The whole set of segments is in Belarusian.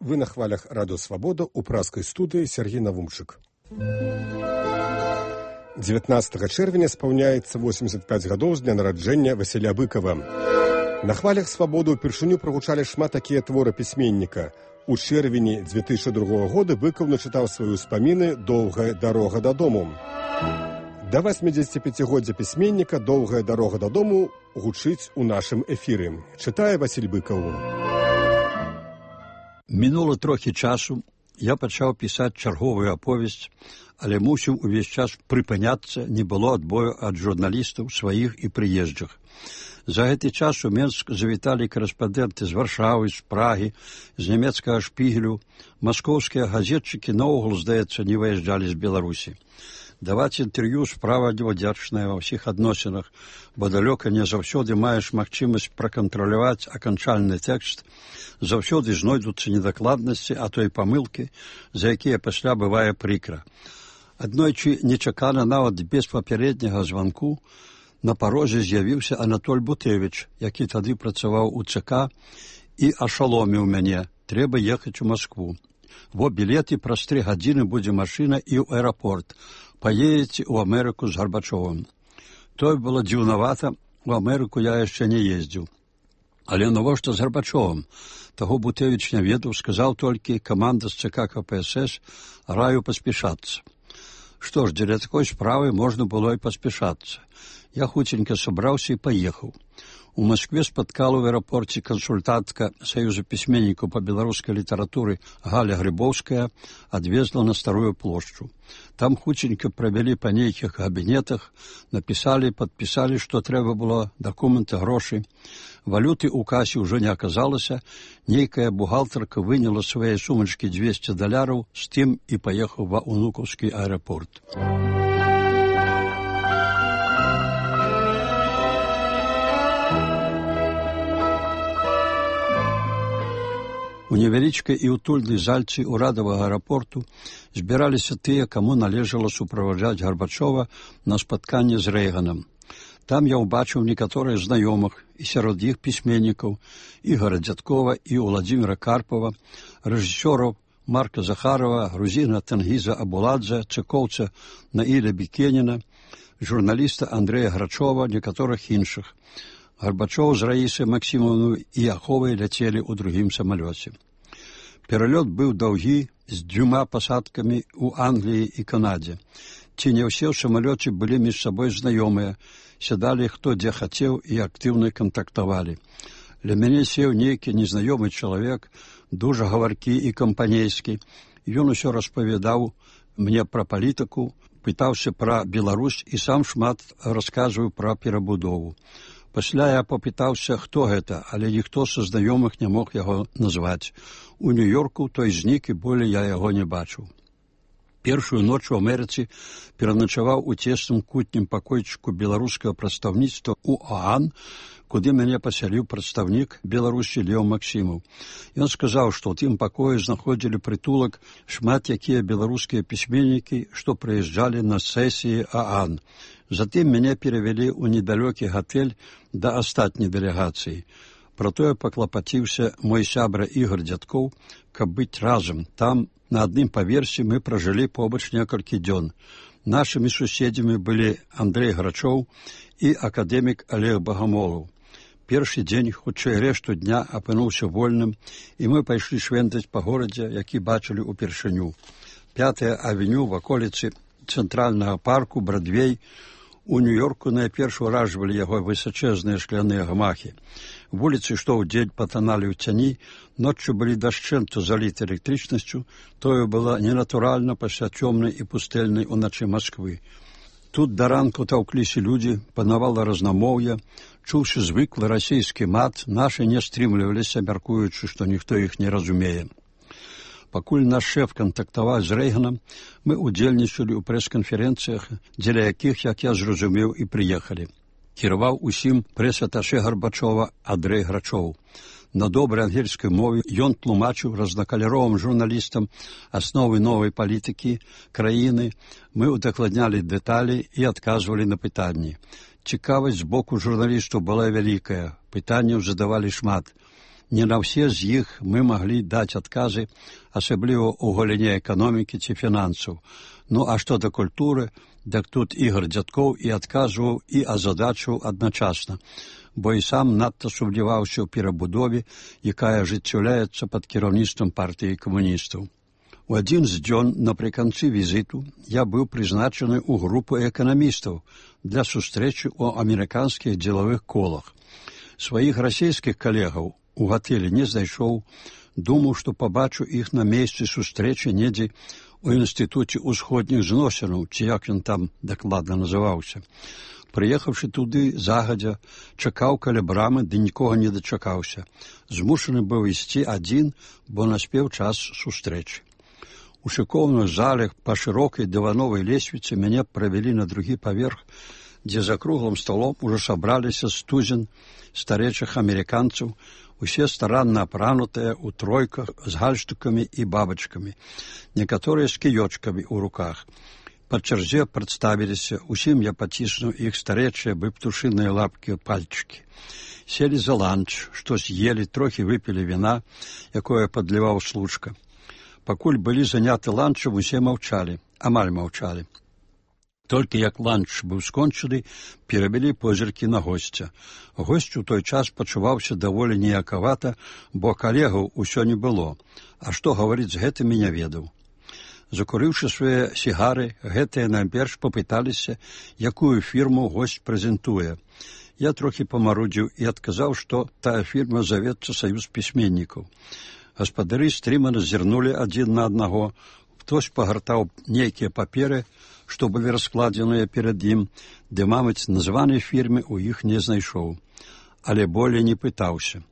Вы на хвалях Радио Свобода у праскай студыі Сергей Навумчык. 19 чэрвеня спаўняецца 85 гадоў з дня нараджэння Васіля Быкова. На хвалях Свабоды ўпершыню прагучалі шмат такія творы пісьменніка. У чэрвені 2002 года Быкаў начытаў свае ўспаміны «Доўгая дарога дадому». Да 85-годдзя пісьменніка «Доўгая дарога дадому» гучыць у нашым эфіры. Чытае Васіль Быкаў. Мінула трохі часу, я пачаў пісаць чарговую аповесць, але мусіў увесь час прыпыняцца, не было адбою ад журналістаў сваіх і прыезджых. За гэты час у Менск завіталі корэспандэнты з Варшавы, з Прагі, з нямецкага Шпігелю. Маскоўскія газетчыкі наогул, здаецца, не выязджалі з Беларусі. Даваць інтэрв'ю справа невдзячная ва ўсіх адносінах, бо далёка не заўсёды маеш магчымасць пракантраляваць аканчальны тэкст, заўсёды знойдуцца недакладнасці, а то і памылкі, за якія пасля бывае прыкра. Аднойчы нечакана, нават без папярэдняга званку, на парозе з'явіўся Анатоль Бутэвіч, які тады працаваў у ЦК, і ашаломіў мяне: трэба ехаць у Маскву. Во білеты, праз 3 гадзіны будзе машына і ў аэрапорт. Паедзеце ў Амерыку з Гарбачовым. Той было дзіўнавата, у Амерыку я яшчэ не ездзіў. Але навошта з Гарбачовым? Таго Бутэвіч не ведаў, сказаў толькі: каманда з ЦК КПСС, раю паспешацца. Што ж, дзеля такой справы можна было і паспешацца. Я хуценька сабраўся і паехаў. У Маскве спаткала ў аэрапорце кансультантка Саюза пісьменнікаў па беларускай літаратуры Галя Грыбоўская, адвезла на Старую плошчу. Там хуценька правялі па нейкіх кабінетах, напісалі, падпісалі, што трэба было, дакументы, грошы. Валюты ў касе ўжо не аказалася, нейкая бухгалтарка выняла свае сумачкі $200, з тым і паехаў ва Унукаўскі аэрапорт. У невялічкай і утульнай зальцы ўрадавага аэрапорту збіраліся тыя, каму належала суправаджаць Гарбачова на спатканне з Рэйганам. Там я ўбачыў некаторыя знаёмых, і сярод іх пісьменнікаў Ігора Дзядкова і Владзіміра Карпова, рэжысёраў Марка Захарова, грузіна Тэнгіза Абуладзе, цыкоўца Наіля Бікеніна, журналіста Андрэя Грачова, некаторых іншых. Гарбачоў з Раісай Максімаўнай і Аховай ляцелі ў другім самалёце. Пералёт быў даўгі, з 2 пасадкамі ў Англіі і Канадзе. Ці не ўсе ў самалёце былі між сабой знаёмыя, сядалі хто дзе хацеў і актыўна кантактавалі. Ля мяне сеў нейкі незнаёмы чалавек, дужа гаваркі і кампанейскі. Ён усё распавядаў мне пра палітыку, пытаўся пра Беларусь і сам шмат расказваў пра перабудову. Пасля я папытаўся, хто гэта, але ніхто са знаёмых не мог яго назваць. У Нью-Йорку той знік, і болей я яго не бачыў. Першую ноч у Амерыцы пераначаваў у цесным кутнім пакойчыку беларускага прадстаўніцтва ў ОАН, куды мяне пасяліў прадстаўнік Беларусі Леў Максімаў. Ён сказаў, што ў тым пакоі знаходзілі прытулак шмат якія беларускія пісьменнікі, што прыязджалі на сесіі ОАН. Затым мяне перавялі ў недалёкі гатэль да астатняй дэлегацыі. Пра тое паклапаціўся мой сябра Ігор Дзядкоў, каб быць разам. Там, на адным паверсе, мы пражылі побач некалькі дзён. Нашымі суседзямі былі Андрэй Грачоў і акадэмік Олег Багамолаў. Першы дзень, хутчэй рэшту дня, апынуўся вольным, і мы пайшлі швендаць па горадзе, які бачылі ўпершыню. 5-я авеню, ваколіцы цэнтральнага парку, Брадвей. У Нью-Йорку найперш уражвалі яго высачэзныя шкляныя гмахі. Вуліцы, што ўдзень патаналі ў цяні, ноччу былі дашчэнту заліты электрычнасцю, тое было ненатуральна пасля цёмнай і пустэльнай уначы Масквы. Тут да ранку таўкліся людзі, панавала разнамоўе, чуўся звыклы расійскі мат, нашы не стрымліваліся, мяркуючы, што ніхто іх не разумее. Пакуль наш шэф кантактаваў з Рэйганам, мы удзельнічалі ў прэс-канферэнцыях, дзеля якіх, як я зразумеў, і прыехалі. Кіраваў усім прэс-аташэ Гарбачова Андрэй Грачоў. На добрай ангельскай мове ён тлумачыў разнакаляровым журналістам асновы новай палітыкі краіны. Мы удакладнялі дэталі і адказвалі на пытанні. Цікавасць з боку журналістаў была вялікая, пытанняў задавалі шмат. Не на ўсе з іх мы маглі даць адказы, асабліва ў галіне эканомікі ці фінансаў. Ну, а што да культуры, дык тут Ігор Дзядкоў і адказваў, і азадачваў адначасна, бо і сам надта сумняваўся ў перабудове, якая ажыццяўляецца пад кіраўніцтвам партыі камуністаў. У адзін з дзён напрыканцы візіту я быў прызначаны ў групу эканамістаў для сустрэчы ў амерыканскіх дзелавых колах. Сваіх расійскіх калегаў у гатэлі не знайшоў, думаў, што пабачу іх на месцы сустрэчы недзе у інстытуце ўсходніх зносінаў, ці як ён там дакладна называўся. Прыехаўшы туды загадзя, чакаў каля брамы, ды нікога не дачакаўся. Змушаны быў ісці адзін, бо наспеў час сустрэчы. У шыкоўных залях па шырокай дывановай лесвіцы мяне правялі на другі паверх, дзе за круглым столом ужо сабраліся стузен старэйшых амерыканцаў, усе старанна апранутыя ў тройках з гальштукамі і бабачкамі, некаторыя з кіёчкамі ў руках. Па чарзе прадставіліся, усім я паціснуў іх старэйшыя бы птушыныя лапкі пальчыкі. Селі за ланч, што з'елі, трохі выпілі віна, якое падліваў случка. Пакуль былі заняты ланчам, усе маўчалі, амаль маўчалі. Толькі як ланч быў скончаны, перавялі позіркі на госця. Госць у той час пачуваўся даволі ніякавата, бо калегаў усё не было, а што гаварыць з гэтымі не ведаў. Закурыўшы свае сігары, гэтыя найперш папыталіся, якую фірму госць прэзентуе. Я трохі памарудзіў і адказаў, што тая фірма завецца Саюз пісьменнікаў. Гаспадары стрымана зірнулі адзін на аднаго, хтось пагартаў нейкія паперы, што былі раскладзеныя перад ім, ды, мабыць, названай фірмы ў іх не знайшоў. Але болей не пытаўся.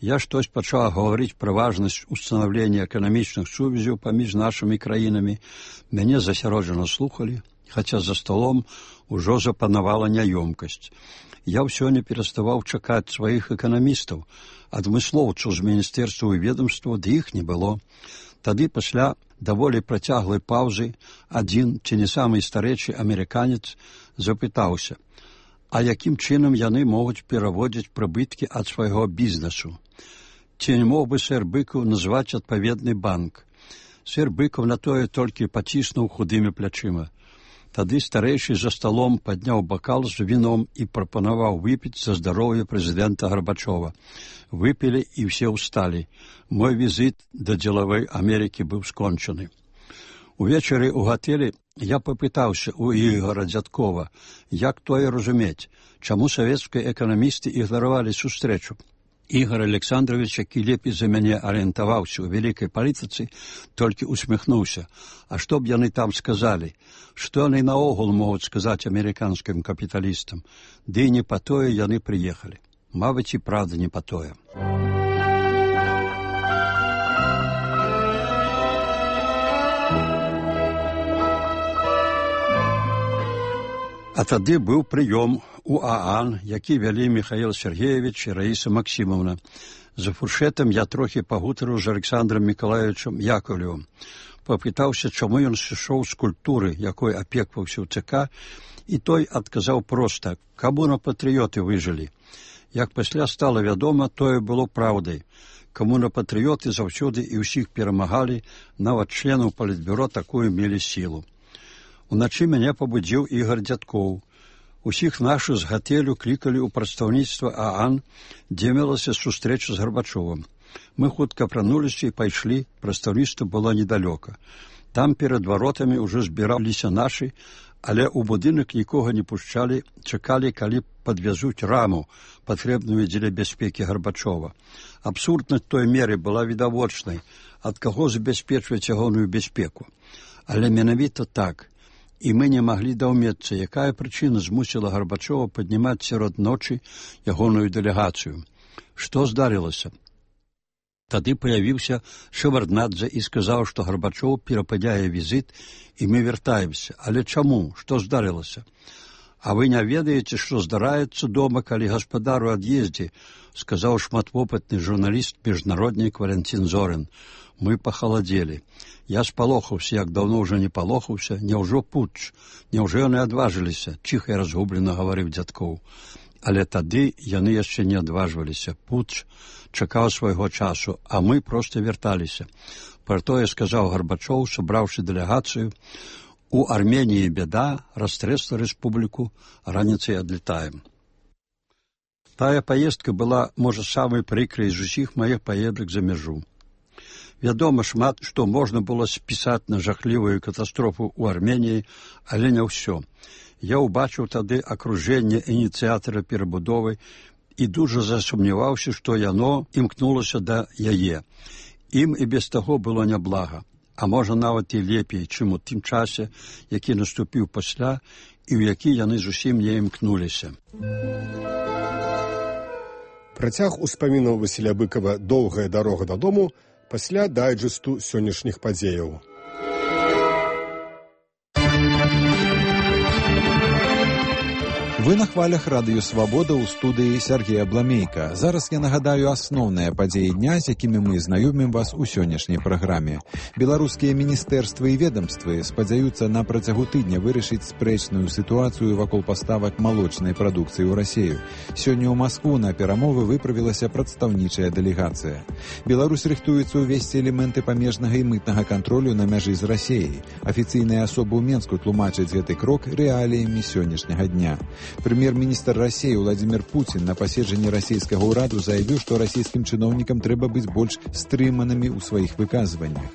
Я штось пачаў гаварыць пра важнасць устанаўлення эканамічных сувязяў паміж нашымі краінамі. Мяне засяроджана слухалі, хаця за столом ужо запанавала няёмкасць. Я ўсё не пераставаў чакаць сваіх эканамістаў, адмыслоўцаў з міністэрства і ведомства, ды іх не было. Тады пасля даволі працяглай паўзы адзін, ці не самы старэйшы амерыканец, запытаўся, а якім чынам яны могуць пераводзіць прыбыткі ад свайго бізнесу? Ці не мог бы сэр Быкаў назваць адпаведны банк? Сэр Быкаў на тое толькі паціснуў худымі плячыма. Тады старэйшы за сталом падняў бакал з віном і прапанаваў выпіць за здароўе прэзідэнта Гарбачова. Выпілі і ўсе ўсталі. Мой візіт да дзелавой Амерыкі быў скончаны. Увечары ў гатэлі я папытаўся ў Ігора Дзядкова, як тое разумець, чаму савецкія эканамісты ігнаравалі сустрэчу. Ігор Александрович, які лепей за мяне арыентаваўся ў вялікай палітыцы, толькі усміхнуўся. А што б яны там сказалі? Што яны наогул могуць сказаць амерыканскім капіталістам? Ды і не па тое яны прыехалі. Мабыць, і правда не па тое. А тады быў прыём у ААН, які вялі Михаил Сергеевич і Раіса Максімовна. За фуршэтам я трохі пагутарыў з Александром Миколаевичем Яковлевым. Папытаўся, чаму ён сышоў з культуры, якой апекваўся ў ЦК, і той адказаў проста, камуна-патрыёты выжылі. Як пасля стала вядома, тое было праўдай. Камуна-патрыёты заўсёды і ўсіх перамагалі, нават членаў палітбюро такую мелі сілу. Уначы мяне пабудзіў Ігор Дзядкоў. Усіх нашых з гатэлю клікалі ў прадстаўніцтва ААН, дзе мелася сустрэча з Гарбачовым. Мы хутка апрануліся і пайшлі, прадстаўніцтва было недалёка. Там перад варотамі ўжо збіраліся нашы, але ў будынак нікога не пушчалі, чакалі, калі падвязуць раму, патрэбную дзеля бяспекі Гарбачова. Абсурднасць той меры была відавочнай, ад каго забяспечваць ягоную бяспеку. Але менавіта так. І мы не маглі даўмецца, якая прычына змусіла Гарбачова паднімаць сярод ночы ягоную дэлегацыю. Што здарылася? Тады паявіўся Шеварднадзе і сказаў, што Гарбачоў перападзяе візіт, і мы вяртаемся. Але чаму? Што здарылася? А вы не ведаеце, што здараецца дома, калі гаспадар у ад'ездзе, сказаў шматвопытны журналіст міжнароднік Валентин Зорин. Мы пахаладзелі. Я спалохаўся, як даўно ўжо не палохаўся, няўжо путч, няўжо яны адважыліся, ціха і разгублена гаварыў Дзядкоў. Але тады яны яшчэ не адважваліся. Путч чакаў свайго часу, а мы проста вярталіся. Пра тое сказаў Гарбачоў, сабраўшы дэлегацыю: «У Арменіі бяда, растрэсла рэспубліку, раніцай адлетаем». Тая паездка была, можа, самай прыкрай з усіх маіх паедак за мяжу. Вядома, шмат што можна было спісаць на жахлівую катастрофу ў Арменіі, але не ўсё. Я ўбачыў тады акружэнне ініцыятара перабудовы і дужа засумняваўся, што яно імкнулася да яе. Ім і без таго было няблага, а можа нават і лепей, чым у тым часе, які наступіў пасля і ў які яны зусім не імкнуліся. Працяг успамінаў Васіля Быкава «Доўгая дарога дадому» пасля дайджэсту сённяшніх падзеяў. Вы на хвалях радыё «Свабода» ў студыі Сергея Бламейка. Зараз я нагадаю асноўныя падзеі дня, з якімі мы знаёмім вас у сённяшняй праграме. Беларускія міністэрствы і ведамствы спадзяюцца на працягу тыдня вырашыць спрэчную сітуацыю вакол паставак малочнай прадукцыі ў Расію. Сёння ў Маскву на перамовы выправілася прадстаўнічая дэлегацыя. Беларусь рыхтуецца ўвесці элементы памежнага і мытнага кантролю на мяжы з Расіяй. Афіцыйныя асобы ў Менску тлумачаць гэты крок рэаліямі сённяшняга дня. Прэм'ер-міністр Расіі Владзімір Пуцін на паседжанні расійскага ўраду заявіў, што расійскім чыноўнікам трэба быць больш стрыманымі ў сваіх выказваннях.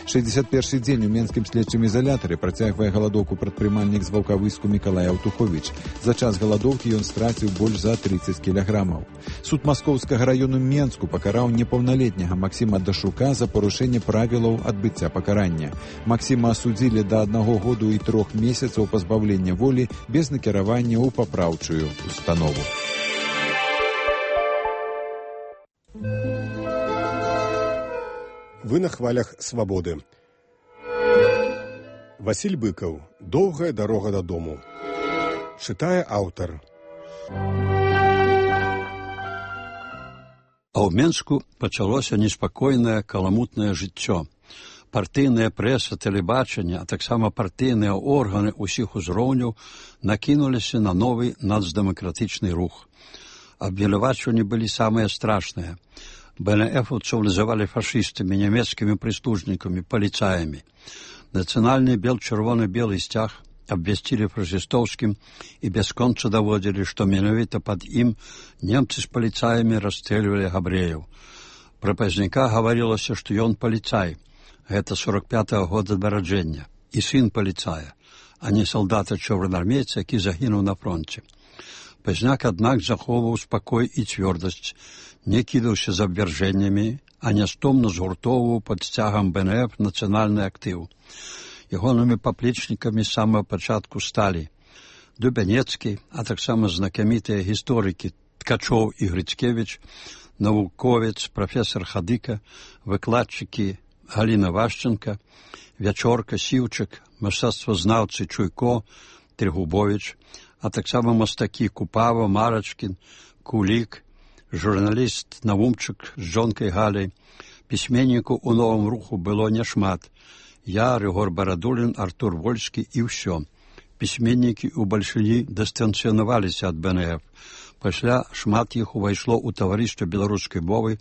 61-й дзень у менскім следчым ізалятары працягвае галадоўку прадпрымальнік з Ваўкавыску Мікалай Аўтуховіч. За час галадоўкі ён страціў больш за 30 кілаграмаў. Суд Маскоўскага раёну Менску пакараў непаўналетняга Максіма Дашука за парушэнне правілаў адбыцця пакарання. Максіма асудзілі да 1 году і 3 месяцаў пазбаўлення волі без накіравання ў папраўчую установу. Вы на хвалях «Свабоды». Васіль Быкаў «Доўгая дарога дадому». Чытае аўтар. А ў Менску пачалося неспакойнае каламутнае жыццё. Партыйная прэса, тэлебачанне, а таксама партыйныя органы ўсіх узроўняў накінуліся на новы нацдэмакратычны рух. Абвінавачванні былі самыя страшныя. БНФаўцаў называлі фашыстамі, нямецкімі прыслужнікамі, паліцаямі. Нацыянальны бел-чырвоны-белы сцяг абвясцілі фашыстоўскім і бясконца даводзілі, што менавіта пад ім немцы з паліцаямі расстрэльвалі габрэяў. Пра пазняка гаварылася, што ён паліцай. Гэта 45-го года нараджэння, і сын паліцая, а не салдата-чорнаармейца, які загінуў на фронце. Пазняк, аднак, захоўваў спакой і цвёрдасць, не кідаўся з абвяржэннямі, а нястомна згуртоўваў пад сцягам БНФ нацыянальны актыў. Ягонымі паплечнікамі з самага пачатку сталі Дубянецкі, а таксама знакамітыя гісторыкі Ткачоў і Грыцкевіч, навуковец, прафесар Хадыка, выкладчыкі Галіна Вашченка, Вячорка, Сіўчык, мастацтвазнаўцы Чуйко, Трегубович, а таксама мастакі Купава, Марачкін, Кулік, журналіст Навумчык з жонкай Галяй. Пісьменнікаў у новым руху было няшмат. Я, Рыгор Барадулін, Артур Вольскі і ўсё. Пісьменнікі ў бальшыні дыстанцыянаваліся ад БНФ. Пасля шмат іх увайшло ў таварыства беларускай мовы,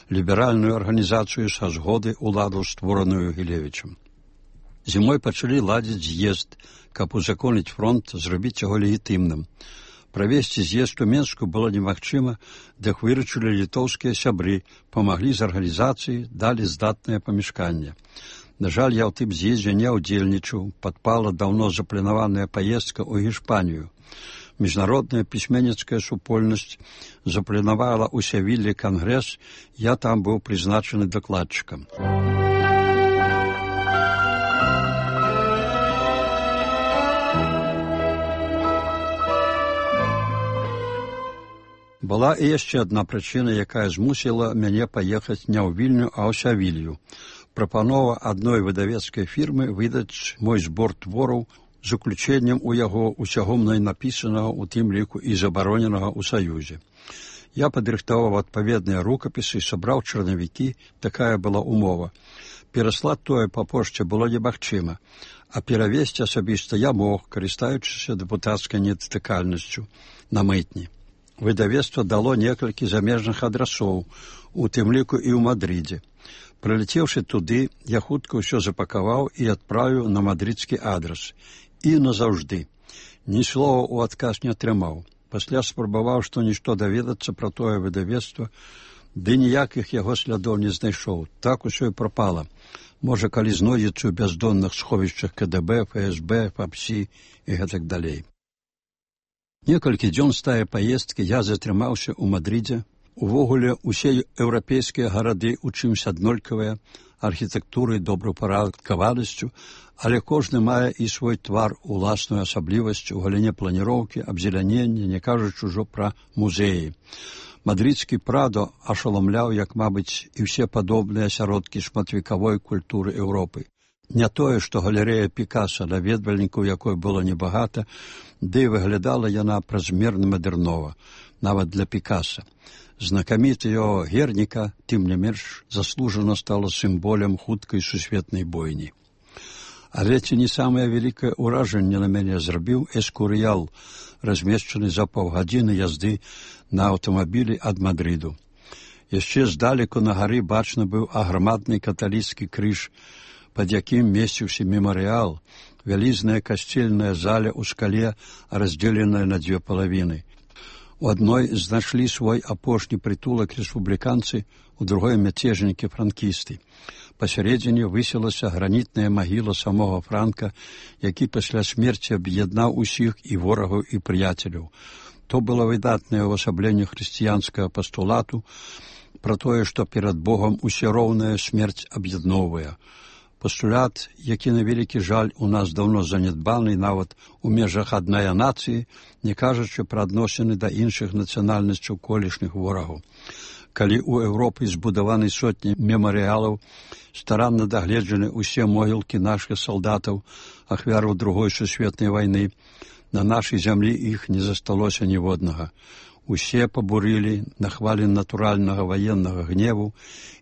ліберальную арганізацыю са згоды ўладу, створаную Гілевічам. Зімой пачалі ладзіць з'езд, каб узаконіць фронт, зрабіць яго легітымным. Правесці з'езд у Менску было немагчыма, дык выручылі літоўскія сябры, памаглі з арганізацыі, далі здатнае памяшканне. На жаль, я ў тым з'ездзе не ўдзельнічаў, падпала даўно запланаваная паездка ў Гішпанію. Міжнародная пісьменніцкая супольнасць запланавала ў Севіллі кангрэс, я там быў прызначаны дакладчыкам. Была і яшчэ адна прычына, якая змусіла мяне паехаць не ў Вільню, а ў Севілью. Прапанова адной выдавецкай фірмы выдаць мой збор твораў з уключэннем у яго усяго мной напісанага, у тым ліку і забароненага ў Саюзе. Я падрыхтаваў адпаведныя рукапісы, сабраў чарнавікі, такая была умова. Пераслаць тое па пошце было немагчыма, а перавесці асабіста я мог, карыстаючыся дэпутацкай недатыкальнасцю, на мытні. выдавецтва дало некалькі замежных адрасоў, у тым ліку і ў Мадридзе. Прылецеўшы туды, я хутка ўсё запакаваў і адправіў на мадридскі адрас. І назаўжды. Ні слова ў адказ не атрымаў. Пасля спрабаваў што-нішто даведацца пра тое выдавецтва, ды ніякіх яго слядоў не знайшоў. Так усё і прапала. Можа, калі знойдзецца ў бяздонных сховішчах КДБ, ФСБ, ФАПСі і гэтак далей. Некалькі дзён з тае паездкі я затрымаўся ў Мадридзе. Увогуле, усе еўрапейскія гарады ў чымсь аднолькавыя, архітэктурай, добраўпарадкаванасцю, але кожны мае і свой твар, уласную асаблівасць у галіне планіроўкі, абзелянення, не кажучы ўжо пра музеі. Мадридскі Прадо ашаламляў, як, мабыць, і ўсе падобныя асяродкі шматвекавой культуры Еўропы. Не тое, што галерэя Пікаса, наведвальнікаў якой было небагата, ды выглядала яна празмерна мадэрнова, нават для Пікаса. Знакаміты яго Герніка, тым не менш, заслужана стала сімволем хуткай сусветнай бойні. Але ці не самае вялікае ўражанне на мяне зрабіў Эскурыял, размешчаны за паўгадзіны язды на аўтамабілі ад Мадрыду. Яшчэ здалеку на гары бачны быў аграмадны каталіцкі крыж, пад якім месціўся мемарыял, вялізная касцельная заля ў скале, раздзеленая на дзве палавіны. У адной знайшлі свой апошні прытулак рэспубліканцы, у другой мяцежнікі-франкісты. Пасярэдзіне высілася гранітная магіла самога Франка, які пасля смерці аб'яднаў усіх і ворагаў, і прыяцеляў. То было выдатнае ўвасабленне хрысціянскага пастулату пра тое, што перад Богам усе роўная смерць аб'ядноўвае. Пастулят, які, на вялікі жаль, у нас даўно занядбаны нават у межах аднае нацыі, не кажучы пра адносіны да іншых нацыянальнасцяў колішніх ворагаў. Калі ў Еўропы збудаваны сотні мемарыялаў, старанна дагледжаны ўсе могілкі нашых салдатаў, ахвяраў Другой сусветнай вайны, на нашай зямлі іх не засталося ніводнага. Усе пабурылі на хвалі натуральнага ваеннага гневу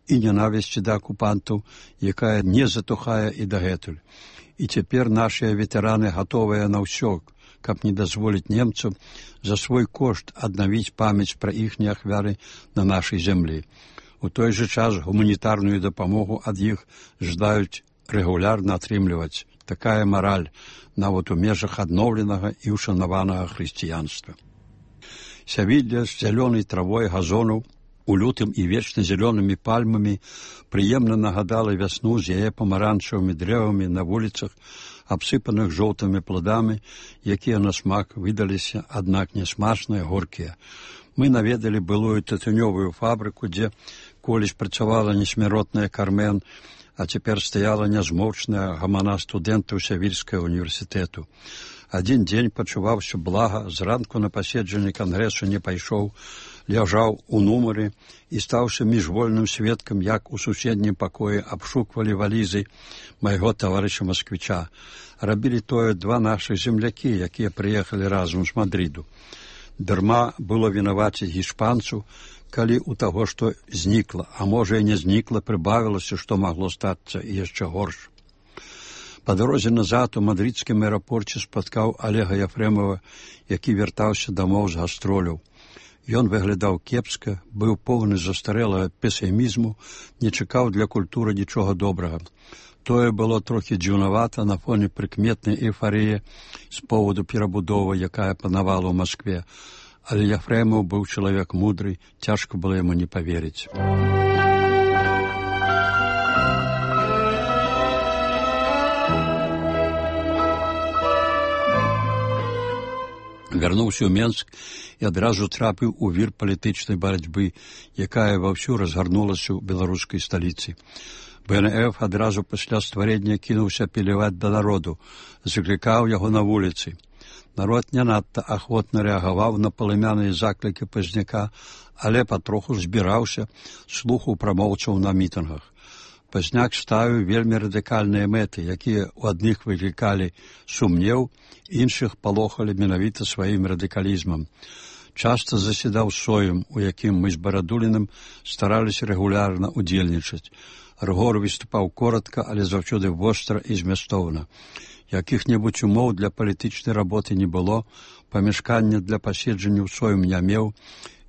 і ненавісці да акупантаў, якая не затухае і дагэтуль. І цяпер нашыя ветэраны гатовыя на ўсё, каб не дазволіць немцам за свой кошт аднавіць памяць пра іхнія ахвяры на нашай зямлі. У той жа час гуманітарную дапамогу ад іх жадаюць рэгулярна атрымліваць. Такая мараль нават у межах адноўленага і ушанаванага хрысціянства. Сявілля з зялёнай травой газонаў, у лютым і вечна зялёнымі пальмамі прыемна нагадала вясну з яе памаранчавымі дрэвамі на вуліцах, абсыпаных жоўтымі пладамі, якія на смак выдаліся, аднак нясмачныя, горкія. Мы наведалі былую тытунёвую фабрыку, дзе колісь працавала несмяротная Кармен, а цяпер стаяла нязмоўчная гамана студэнтаў Сявільскага універсітэту. Адзін дзень пачуваўся блага, зранку на паседжанне кангрэсу не пайшоў, ляжаў у нумары і стаўся міжвольным сведкам, як у суседнім пакоі абшуквалі валізы майго таварыша Масквіча. Рабілі тое два нашых землякі, якія прыехалі разам з Мадрыду. Дарма было вінаваціць гішпанцу, калі у таго, што знікла, а можа і не знікла, прыбавілася, што магло стацца і яшчэ горш. Па дарозе назад у мадрыдскім аэрапорце спаткаў Алега Яфрэмова, які вяртаўся дамоў з гастроляў. Ён выглядаў кепска, быў поўны застарэлага песімізму, не чакаў для культуры нічога добрага. Тое было трохі дзіўнавата на фоне прыкметнай эйфарыі з поводу перабудовы, якая панавала ў Маскве. Але Яфрэмаў быў чалавек мудры, цяжка было яму не паверыць. Вярнуўся ў Менск і адразу трапіў у вір палітычнай барацьбы, якая ваўсю разгарнулася ў беларускай сталіцы. БНФ адразу пасля стварення кінуўся апеляваць да народу, заклікаў яго на вуліцы. Народ не надта ахвотна рэагаваў на палымяныя заклікі Пазняка, але патроху збіраўся, слухаў прамоўцаў на мітынгах. Пазняк ставіў вельмі радыкальныя мэты, якія ў адных выклікалі сумнеў, іншых палохалі менавіта сваім радыкалізмам. Часта заседаў соем, у якім мы з Барадуліным стараліся рэгулярна удзельнічаць. Рыгор выступаў коротка, але заўсёды востра і змястоўна. Якіх-небудзь умоў для палітычнай работы не было, памяшкання для паседжання ў соем не меў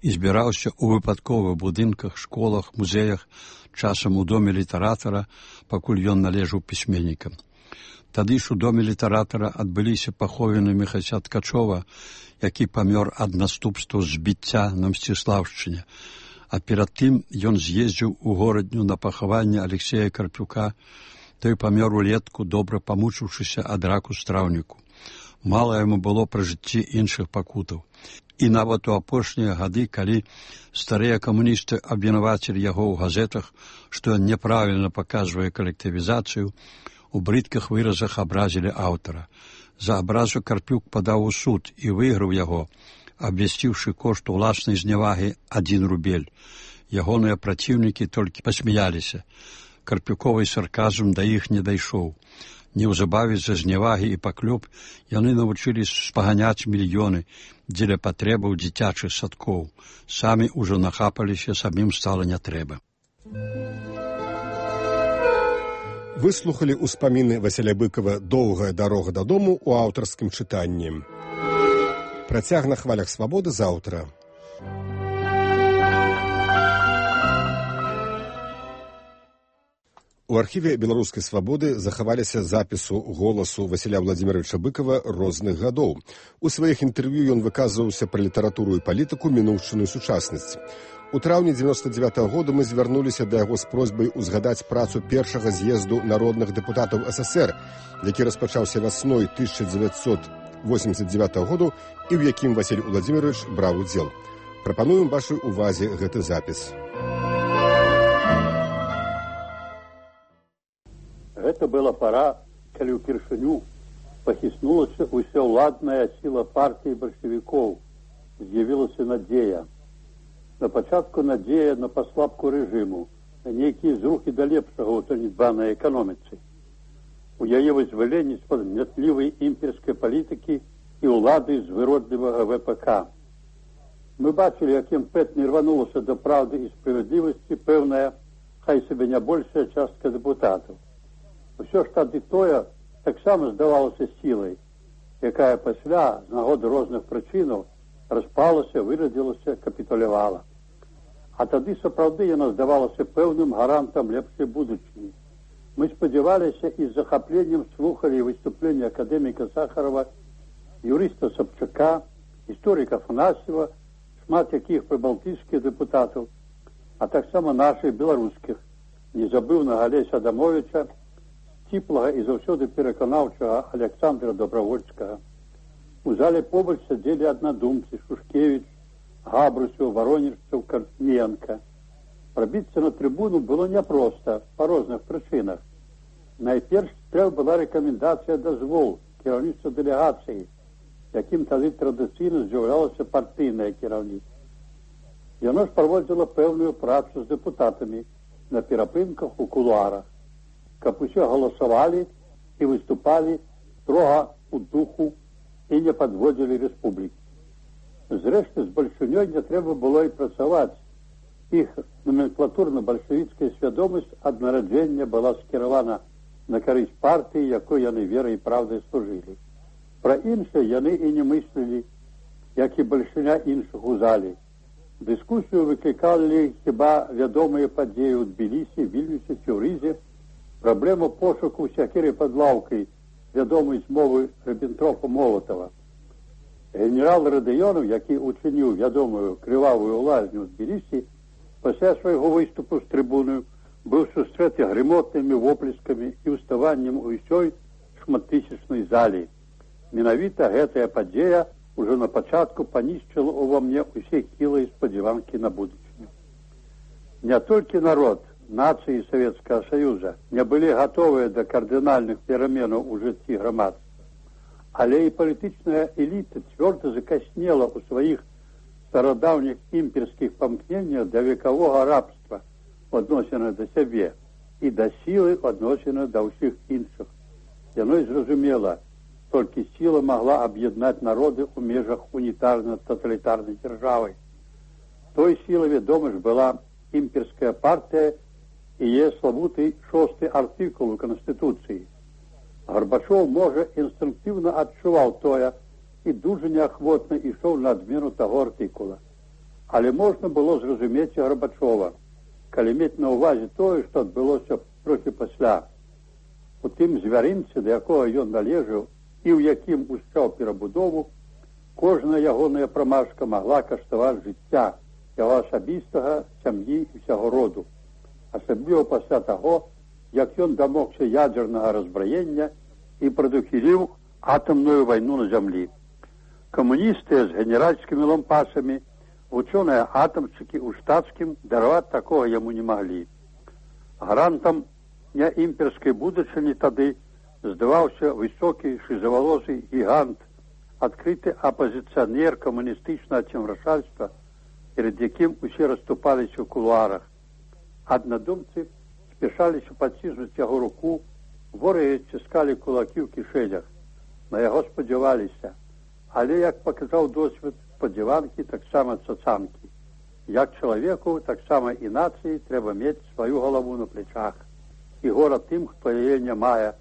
і збіраўся ў выпадковых будынках, школах, музеях, часам у доме літаратара, пакуль ён належаў пісьменнікам. Тады ж у доме літаратара адбыліся паховіны Міхася Ткачова, які памёр ад наступстваў збіцця на Мсціслаўшчыне. А перад тым ён з'ездзіў у горадню на пахаванне Алексея Карпюка. Той памёр улетку, добра памучыўшыся ад раку страўніку. Мала яму было пра жыцці іншых пакутаў. І нават у апошнія гады, калі старыя камуністы абвінавацілі яго ў газетах, што ён няправільна паказвае калектывізацыю, у брыдкіх выразах абразілі аўтара. За абразу Карпюк падаў у суд і выйграў яго, абвясціўшы кошт уласнай знявагі 1 рубель. Ягоныя праціўнікі толькі пасмяяліся. Карпюковы сарказм да іх не дайшоў. Неўзабаве з-за знявагі і паклёп яны навучыліся спаганяць мільёны дзеля патрэбаў дзіцячых садкоў. Самі ўжо нахапаліся, самім стала не трэба. Выслухалі ўспаміны Васіля Быкава «Доўгая дарога дадому» у аўтарскім чытанні. Працяг на хвалях свабоды заўтра. У архіве беларускай свабоды захаваліся запісу голасу Васіля Владзіміровича Быкава розных гадоў. У сваіх інтэрв'ю ён выказваўся пра літаратуру і палітыку, мінуўшчыну і сучаснасць. У траўні 99-го года мы звярнуліся да яго з просьбай узгадаць працу першага з'езду народных дэпутатаў СССР, які распачаўся вясной 1989 году і ў якім Васіль Владзімірович браў удзел. Прапануем вашай увазе гэты запіс. Гэта была пара, калі ўпершыню пахіснулася ўсеўладная сіла партыі бальшавікоў. З'явілася надзея. На пачатку надзея на паслабку рэжыму, на нейкія зрухі да лепшага ў занядбанай эканоміцы. У яе вызваленні з-пад гнятлівай імперскай палітыкі і ўлады з выродлівага ВПК. Мы бачылі, як імпэтна рванулася да праўды і справядлівасці пэўная, хай сабе не большая частка дэпутатаў. Усё ж тады тое таксама здавалася сілай, якая пасля, з нагоды розных прычынаў, распалася, вырадзілася, капітулявала. А тады сапраўды яна здавалася пэўным гарантам лепшай будучыні. Мы спадзяваліся і з захапленнем слухалі выступленні акадэміка Сахарова, юрыста Сабчака, гісторыка Афанасьева, шмат якіх прыбалтыйскіх дэпутатаў, а таксама нашых беларускіх, незабыўнага Алеся Адамовича, сціплага і заўсёды пераканаўчага Александра Добравольскага. У зале побач сядзелі аднадумцы Шушкевіч, Габрусеў, Варонежцаў, Карпіенка. Прабіцца на трыбуну было няпроста, па розных прычынах. Найперш трэба была рэкамендацыя дазвол кіраўніцтва дэлегацыі, якім тады традыцыйна з'яўлялася партыйнае кіраўніцтва. Яно ж праводзіла пэўную працу з дэпутатамі на перапынках у кулуарах, каб усе галасавалі і выступалі строга у духу і не падводзілі рэспублікі. Зрэшты, з бальшынёй не трэба было і працаваць. Іх номенклатурна-бальшавіцкая свядомасць ад нараджэння была скіравана на карысць партыі, якой яны верай і праўдай служылі. Пра іншае яны і не мыслілі, як і бальшыня іншых у залі. Дыскусію выклікалі хіба вядомыя падзеі ў Тбілісі, Вільнюсе, Цюрызе, праблему пошуку сякеры пад лаўкай, вядомай змовы Ріббентропа-Молатава. Генерал Радыёнаў, які учыніў вядомую крывавую лазню ў Тбілісі, пасля свайго выступу з трыбуною быў сустрэты грымотнымі воплескамі і ўставаннем у ўсёй шматтысячнай залі. Менавіта гэтая падзея ўжо на пачатку панішчыла ўва мне ўсе хілыя спадзяванкі на будучыню. Не толькі народ, нацыі Савецкага Саюза не былі гатовыя да кардынальных пераменаў у жыцці грамадства, але і палітычная эліта цвёрда закаснела ў сваіх старадаўніх імперскіх памкненнях да векавога рабства адносіна да сябе і да сілы адносіна да ўсіх іншых. Яно і зразумела, толькі сіла магла аб'яднаць народы ў межах унітарна-таталітарнай дзяржавы. Той сілай, вядома ж, была імперская партыя і яе славуты 6-й артыкул у Канстытуцыі. Гарбачоў, можа, інстынктыўна адчуваў тое і дужа неахвотна ішоў на адмену таго артыкула. Але можна было зразумець Гарбачова, калі мець на ўвазе тое, што адбылося трохі пасля. У тым звярынцы, да якога ён належаў і ў якім ушчаў перабудову, кожная ягоная прамашка магла каштаваць жыцця яго асабістага, сям'і і ўсяго роду. Асабліва пасля таго, як ён дамогся ядзернага разбраення і прадухіліў атамную вайну на зямлі. Камуністы з генеральскімі лампасамі, вучоныя атамчыкі ў штатскім дараваць такога яму не маглі. Гарантам няімперскай будучыні тады здаваўся высокі шызавалосый гігант, адкрыты апазіцыянер камуністычнага цемрашальства, перед якім усе расступаліся ў кулуарах. Аднадумцы спяшаліся паціснуць яго руку, ворагі ціскалі кулакі ў кішэнях. На яго спадзяваліся, але, як паказаў досвед, спадзяванкі таксама цацанкі. Як чалавеку, таксама і нацыі трэба мець сваю галаву на плечах. І гора тым, хто яе не мае,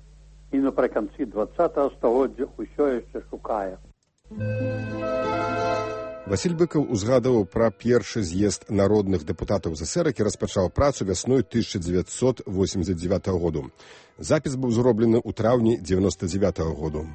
і напрыканцы 20-го стагоддзя ўсё яшчэ шукае. Васіль Быкаў узгадываў пра першы з'езд народных дэпутатаў ЗСР, які распачаў працу вясной 1989 году. Запіс быў зроблены ў траўні 1999 году.